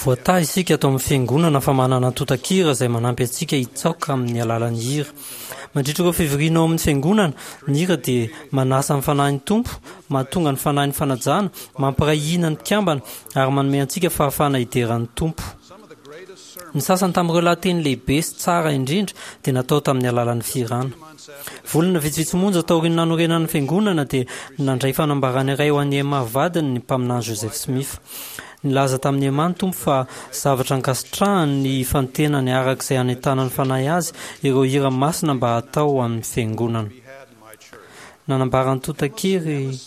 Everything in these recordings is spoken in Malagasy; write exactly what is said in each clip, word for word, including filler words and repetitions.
Voatahy isika ato amin'ny fiangonana fa manana antontan-kira izay manampy antsika hitsaoka amin'ny alalan'ny hira. Mandritra ireo fivoriana ao amin'ny fiangonana, ny hira dia manasa ny fanahin'ny Tompo, mahatonga ny fanahin'ny fanajana, mampiray hina ny mpikambana ary manome antsika fahafahana hidera ny Tompo. Ny sasany tamin'ireo lahateny lehibe sy tsara indrindra dia natao tamin'ny alalan'ny fihirana. Volana vitsivitsy monja taorian'ny nanorenana ny fiangonana dia nandray fanambarana iray ho an'i Emma vadiny ny mpaminany Joseph Smith. Nilaza tamin'i Emma ny Tompo fa zavatra ankasitrahany ny hifantenany araka izay hanentanan'ny Fanahy azy ireo hira masina mba hatao ho an'ny fiangonana. Nanambara antontan-kiry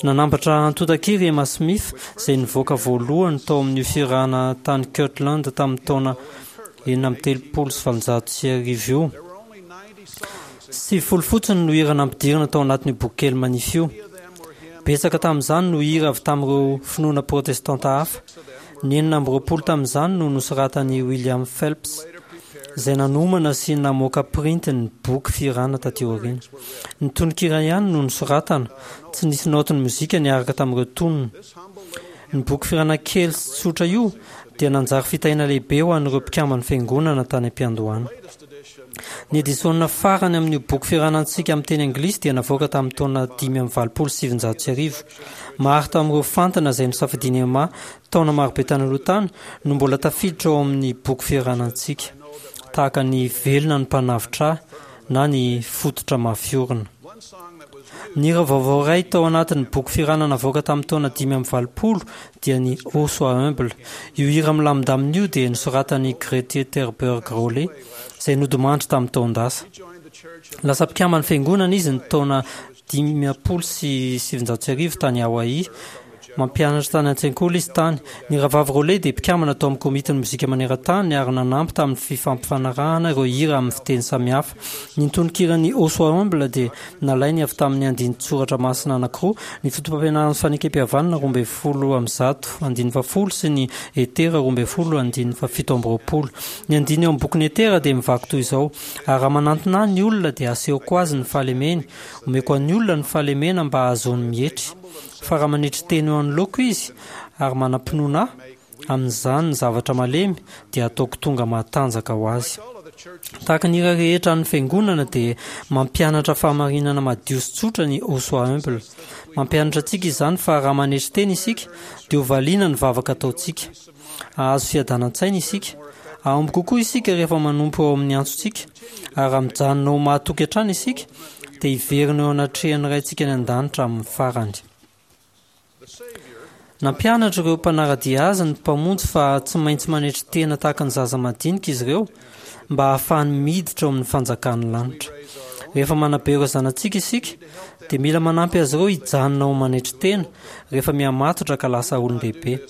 Nanambatra antontan-kiry Emma Smith izay nivoaka voalohany tao amin'io fihirana tany Kirtland tamin'ny taona enina amby telopolo sy valonjato sy arivo io. Sivifolo fotsiny no hira nampidirina tao anatin'io bokikely manify io. Betsaka tamin'izany no hira avy tamin'ireo finoana protestanta hafa. Ny enina amby roapolo tamin'izany no nosoratan'i William Phelps, izay nanomana sy namoaka printy ny boky fihirana taty aoriana. Ny tononkira ihany no nosoratana, tsy nisy naotin'ny mozika niaraka tamin'ireo tonony. Ny boky fihirana kely sy tsotra io dia nanjary fitahiana lehibe ho an'ireo mpikamban'ny Fiangonana tany am-piandohana. Ny edisiona farany amin'io boky fihiranantsika amin'ny teny anglisy dia navoaka tamin'ny taona dimy amby valopolo sy sivinjato sy arivo. Maro tamin'ireo fantina izay nosafidian'i Emma taona marobe tany aloha tany no mbola tafiditra ao amin'ny boky fihiranantsika, tahaka ny Velona ny Mpanavotra Ahy na ny Fototra Mafy Orina. Ny hira vaovao iray tao anatin'ny boky fihirana navoaka tamin'ny taona dimy amby valopolo dia ny Oh Sois Humble. Io hira milamindamina io dia nosoratan'i Grete Terberg Rowley, izay nodimandry tamin'ny taon-dasa. Lasa mpikamban'ny Fiangonana izy ny taona dimampolo sy sivinjato sy arivo tany Hawaii. Mampianatra tany an-tsekoly izy tany. Ny Rahavavy Rowley dia mpikambana tao amin'ny Komitin'ny Mozika Maneran-tany ary nanampy tamin'ny fifampifanarahana ireo hira amin'ny fiteny samihafa. Ny tononkiran'ny Oh Sois Humble dia nalainy avy tamin'ny andinin-tsoratra masina anankiroa, ny Fotopampianaran'ny Fanekempihavanana roa ambin'ny folo amby zato, andininy fahafolo sy ny Etera roa ambin'ny folo, andininy fahafito amby roapolo. Ny andininy ao amin'ny bokin'i Etera dia mivaky toy izao, Ary raha manantona ahy ny olona dia asehoko azy ny fahalemeny, omeko an'ny olona ny fahalemena mba hahazoany mietry. Fa raha manetry tena eo anoloako izy ary manam-pinoana ahy, amin'izany ny zavatra malemy dia hataoko tonga mahatanjaka ho azy. Tahaka ny hira rehetra an'ny Fiangonana dia mampianatra fahamarinana madio sy tsotra ny Oh Sois Humble. Mampianatra antsika izany fa raha manetry tena isika dia ho valiana ny vavaka ataontsika. Hahazo fiadanan-tsaina isika. Hahomby kokoa isika rehefa manompo eo amin'ny antsontsika. Ary raha mijanona ho mahatoky hatrany isika dia hiverina eo anatrehan'ny Raintsika any An-danitra amin'ny farany. Nampianatra ireo mpanara-dia azy ny Mpamonjy fa tsy maintsy manetry tena tahaka ny zaza madinika izy ireo mba hahafahany miditra ao amin'ny fanjakan'ny lanitra. Rehefa manabe ireo zanatsika isika, dia mila manampy azy ireo hijanona ho manetry tena rehefa mihamatotra ka lasa olon-dehibe.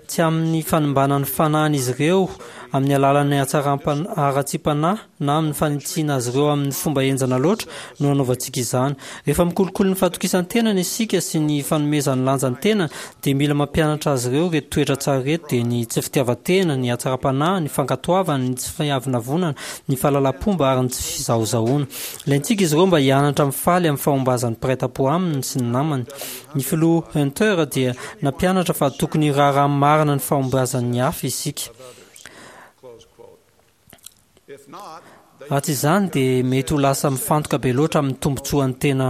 Tsy amin'ny fanimbana ny fanahin'izy ireo amin'ny alalan'ny hatsaram-panahy na amin'ny fanitsiana azy ireo amin'ny fomba henjana loatra no anaovantsika izany. Rehefa mikolokolo ny fahatokisan-tenany isika sy ny fanomezany lanja ny tenany, dia mila mampianatra azy ireo ireto toetra tsara ireto, dia ny tsy fitiavan-tena, ny hatsaram-panahy, ny fankatoavana, ny tsy fiavonavonana, ny fahalalam-pomba ary ny tsy fizahozahoana. Ilaintsika izy ireo mba hianatra mifaly amin'ny fahombazan'ny mpiray tampo aminy sy ny namany. Ny filoha Hunter dia nampianatra fa tokony hiraharaha marina ny fahombiazan'ny hafa isika. Raha tsy izany dia mety ho lasa mifantoka be loatra amin'ny tombontsoan'ny tena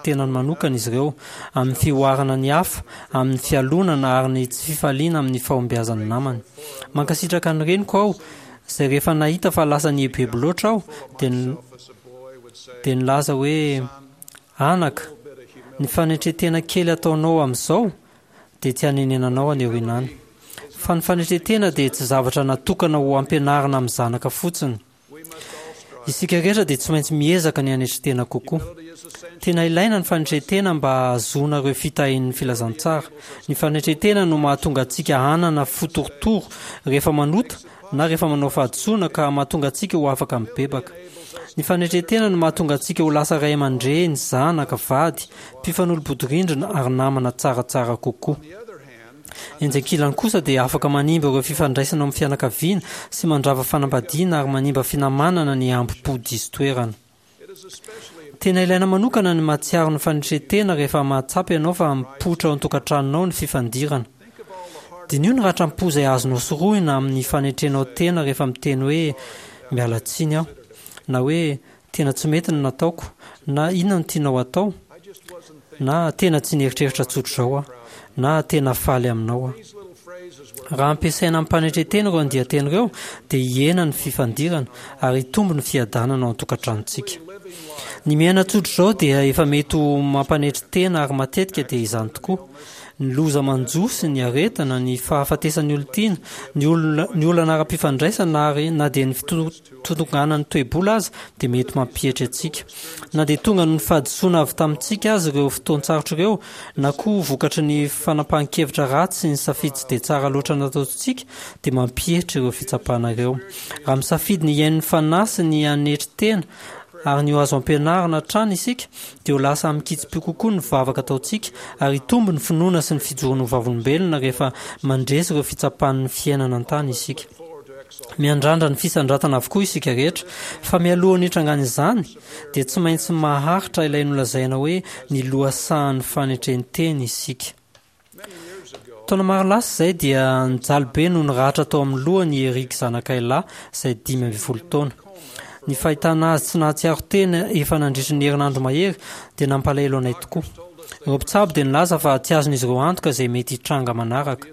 tenany manokana izy ireo, amin'ny fihoarana ny hafa, amin'ny fialonana ary ny tsy fifaliana amin'ny fahombiazan'ny namany. Mankasitraka ny reniko aho, izay rehefa nahita fa lasa nieboebo loatra aho dia dia nilaza hoe, Anaka, ny fanetren-tena kely ataonao amin'izao dia tsy hanenenanao any aoriana any. Fa ny fanetren-tena dia tsy zavatra natokana ho ampianarina amin'ny zanaka fotsiny. Isika rehetra dia tsy maintsy miezaka ny hanetry tena kokoa. Tena ilaina ny fanetren-tena mba hahazoana ireo fitahian'ny filazantsara. Ny fanetren-tena no mahatonga antsika hanana fo torotoro rehefa manota na rehefa manao fahadisoana ka mahatonga antsika ho afaka mibebaka. Ny fanetren-tena no mahatonga antsika ho lasa ray aman-dreny, zanaka, vady, mpifanolo-bodirindrina ary namana tsaratsara kokoa. Etsy ankilany kosa dia afaka manimba ireo fifandraisana ao amin'ny fianakaviana sy mandrava fanambadiana ary manimba finamanana ny hambom-po diso toerana. Tena ilaina manokana ny mahatsiaro ny fanetren-tena rehefa mahatsapa ianao fa mipoitra ao an-tokantranonao ny fifandirana. Diniho ny ratram-po izay azonao sorohina amin'ny fanetrenao tena rehefa miteny hoe miala tsiny aho, na hoe tena tsy mety ny nataoko, na inona no tianao atao, na tena tsy nieritreritra tsotr'izao aho, na tena faly aminao aho. Raha ampiasaina amim-panetren-tena ireo andian-teny ireo, dia hihena ny fifandirana ary hitombo ny fiadanana ao an-tokantranontsika. Ny miaina tsotr'izao dia efa mety ho mampanetry tena ary matetika dia izany tokoa. Ny loza manjo sy ny aretina, ny fahafatesan'ny olon-tiana, ny olona, ny olana ara-pifandraisana ary na dia ny fitotonganan'ny toe-bola aza dia mety mampietry antsika. Na dia tonga noho ny fahadisoana avy tamintsika aza ireo fotoan-tsarotra ireo, na koa vokatry ny fanapahan-kevitra ratsy sy ny safidy tsy dia tsara loatra nataontsika, dia mampietry ireo fitsapana ireo. Raha misafidy ny hihaino ny Fanahy sy ny hanetry tena ary ny ho azo ampianarina hatrany isika, dia ho lasa amin-kitsim-po kokoa ny vavaka ataontsika ary hitombo ny finoana sy ny fijoroana ho vavolombelona rehefa mandresy ireo fitsapan'ny fiainana an-tany isika. Miandrandra ny fisandratana avokoa isika rehetra, fa mialohan'ny hitrangan'izany, dia tsy maintsy maharitra ilay nolazaina hoe ny lohasahan'ny fanetren-tena isika. Taona maro lasa izay dia nijaly be noho ny ratra tao amin'ny lohany i Eric zanakay lahy izay dimy ambin'ny folo taona. Ny fahitana azy tsy nahatsiaro tena efa nandritry ny herinandro mahery dia nampalahelo anay tokoa. Ireo mpitsabo dia nilaza fa tsy azon'izy ireo antoka izay mety hitranga manaraka.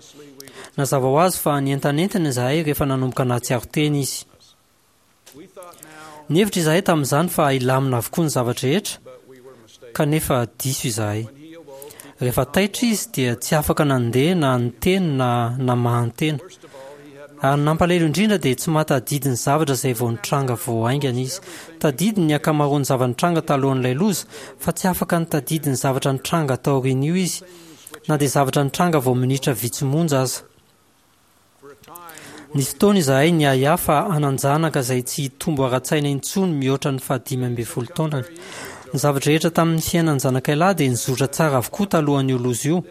Nazava ho azy fa nientanentana izahay rehefa nanomboka nahatsiaro tena izy. Nihevitra izahay tamin'izany fa hilamina avokoa ny zava-drehetra, kanefa diso izahay. Rehefa taitra izy dia tsy afaka nandeha na niteny na namahan-tena. Ary ny nampalahelo indrindra dia tsy mahatadidy ny zavatra izay vao nitranga vao haingana izy. Tadidiny ny ankamaroan'ny zava-nitranga talohan'ilay loza, fa tsy afaka nitadidy ny zavatra nitranga taorian'io izy, na dia zavatra nitranga vao minitra vitsy monja aza. Nisy fotoana izahay niahiahy fa hanan-janaka izay tsy hitombo ara-tsaina intsony mihoatra ny fahadimy ambin'ny folo taonany. Ny zava-drehetra tamin'ny fiainan'ny zanakay lahy dia nizotra tsara avokoa talohan'io loza io.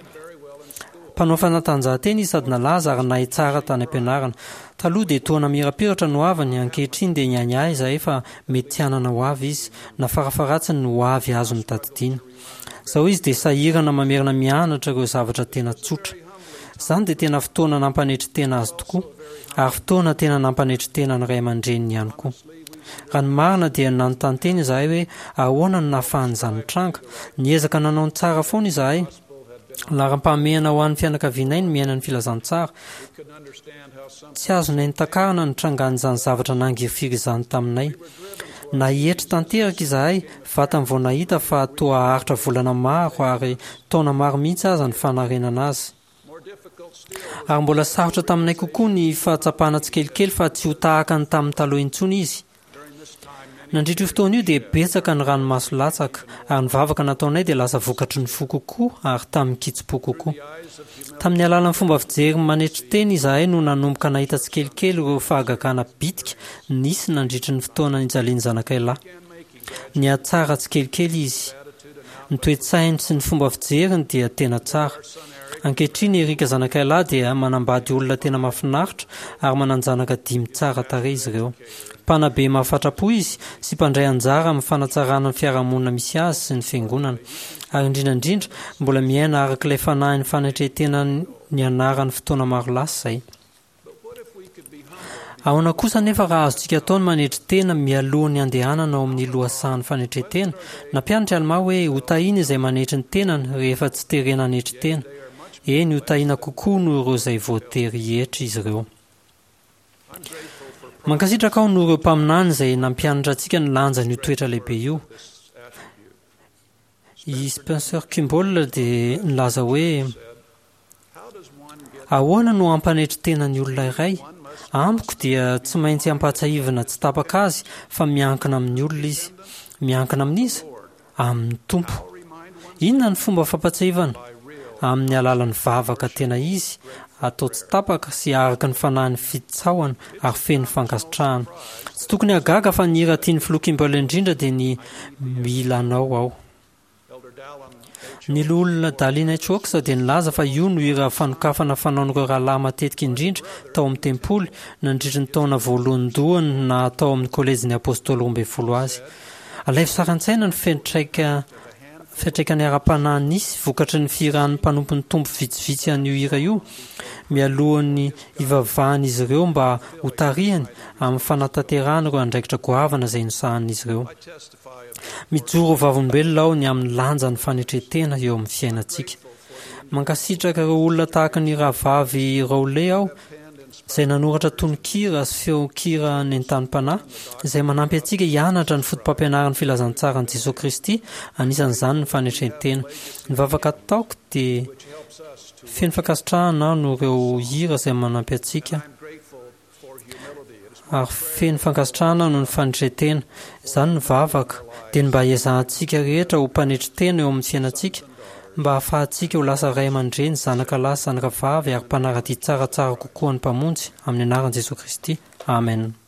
Mpanao fanatanjahantena izy sady nalaza ary nahay tsara tany am-pianarana. Taloha dia toa namirapiratra ny hoaviny, ankehitriny dia niahiahy izahay fa mety tsy hanana hoavy izy, na farafaharatsiny ny hoavy azony tadidiana. Izao izy dia sahirana mamerina mianatra ireo zavatra tena tsotra. Izany dia tena fotoana nampanetry tena azy tokoa, ary fotoana tena nampanetry tena ny ray aman-dreniny ihany koa. Raha ny marina dia nanontany tena izahay hoe ahoana no nahafahan'izany nitranga. Niezaka nanao ny tsara foana izahay. Laharam-pahamehana ho an'ny fianakavianay ny miaina ny filazantsara. Tsy azonay notakarina ny nitrangan'izany zavatra nangirifiry izany taminay. Nahietry tanteraka izahay vatany vao nahita fa toa haharitra volana maro ary taona maro mihitsy aza ny fanarenana azy. Ary mbola sarotra taminay kokoa ny fahatsapana tsikelikely fa tsy ho tahaka ny tamin'ny taloha intsony izy. Nandritra io fotoana io dia betsaka ny ranomaso latsaka, ary ny vavaka nataonay dia lasa vokatry ny fo kokoa ary tamin-kitsim-po kokoa. Tamin'ny alalan'ny fomba fijery manetry tena izahay no nanomboka nahita tsikelikely ireo fahagagana bitika nisy nandritry ny fotoana nijalian'ny zanakay lahy. Nihatsara tsikelikely izy. Ny toe-tsainy sy ny fomba fijeriny dia tena tsara. Ankehitriny Eric zanakay lahy dia manambady olona tena mahafinaritra ary manan-janaka dimy tsara tarehy izy ireo. Mpanabe mahafatra-po izy sy mpandray anjara amin'ny fanatsarana ny fiarahamonina misy azy sy ny fiangonana. Ary indrindra indrindra, mbola miaina araka ilay fanahin'ny fanetren-tena nianarany fotoana maro lasa izay. Ahoana kosa anefa raha azontsika atao ny manetry tena mialoha ny handehanana ao amin'ny lohasahan'ny fanetren-tena? Nampianatra i Almà hoe hotahiana izay manetry ny tenany rehefa tsy terena hanetry tena. Eny, hotahiana kokoa noho ireo izay voatery hietry izy ireo. Mankasitraka aho noho ireo mpaminany izay nampianatra antsika ny lanjan'io toetra lehibe io. I Spencer Kimball dia nilaza hoe, Ahoana no hampanetry tena ny olona iray? Amiko dia tsy maintsy ampahatsiahivina tsy tapaka azy fa miankina amin'ny olona izy. Miankina amin'iza? Amin'ny Tompo. Inona ny fomba fampatsiahivana? Amin'ny alalan'ny vavaka tena izy, atao tsy tapaka sy araka ny fanahin'ny fitsaohana ary feno fankasitrahana. Tsy tokony hahagaga fa ny hira tian'ny Filoha Kimball indrindra dia ny Mila Anao Aho. Ny Loholona Dallin H. Oaks dia nilaza fa io no hira fanokafana fanaon'ireo rahalahy matetika indrindra tao amin'ny tempoly nandritry ny taona voalohandohany naha tao amin'ny Kôlejin'ny Apôstôly Roambinifolo azy. Alaivo sary an-tsaina ny fiantraika fiantraikany ara-panahy nisy vokatry ny fihiran'ny mpanompon'ny Tompo vitsivitsy an'io hira io mialohan'ny hivavahan'izy ireo mba hotarihany amin'ny fanatanterahana ireo andraikitra goavana izay nosahanin'izy ireo. Mijoro ho vavolombelona aho ny amin'ny lanjan'ny fanetren-tena eo amin'ny fiainantsika. Mankasitraka ireo olona tahaka ny rahavavy Rowley aho izay nanoratra tononkira sy feon-kira nentanim-panahy izay manampy antsika hianatra ny fotopampianaran'ny filazantsaran'i Jesoa Kristy, anisan'izany ny fanetren-tena. Ny vavaka ataoko dia feno fankasitrahana aho noho ireo hira izay manampy antsika ary feno fankasitrahana noho ny fanetren-tena. Izany ny vavaka dia ny mba hiezahantsika rehetra ho mpanetry tena eo amin'ny fiainantsika mba hahafahantsika ho lasa ray aman-dreny, zanaka lahy sy zanaka vavy ary mpanara-dia tsaratsara kokoa ny Mpamonjy, amin'ny anaran'i Jesoa Kristy. Amen.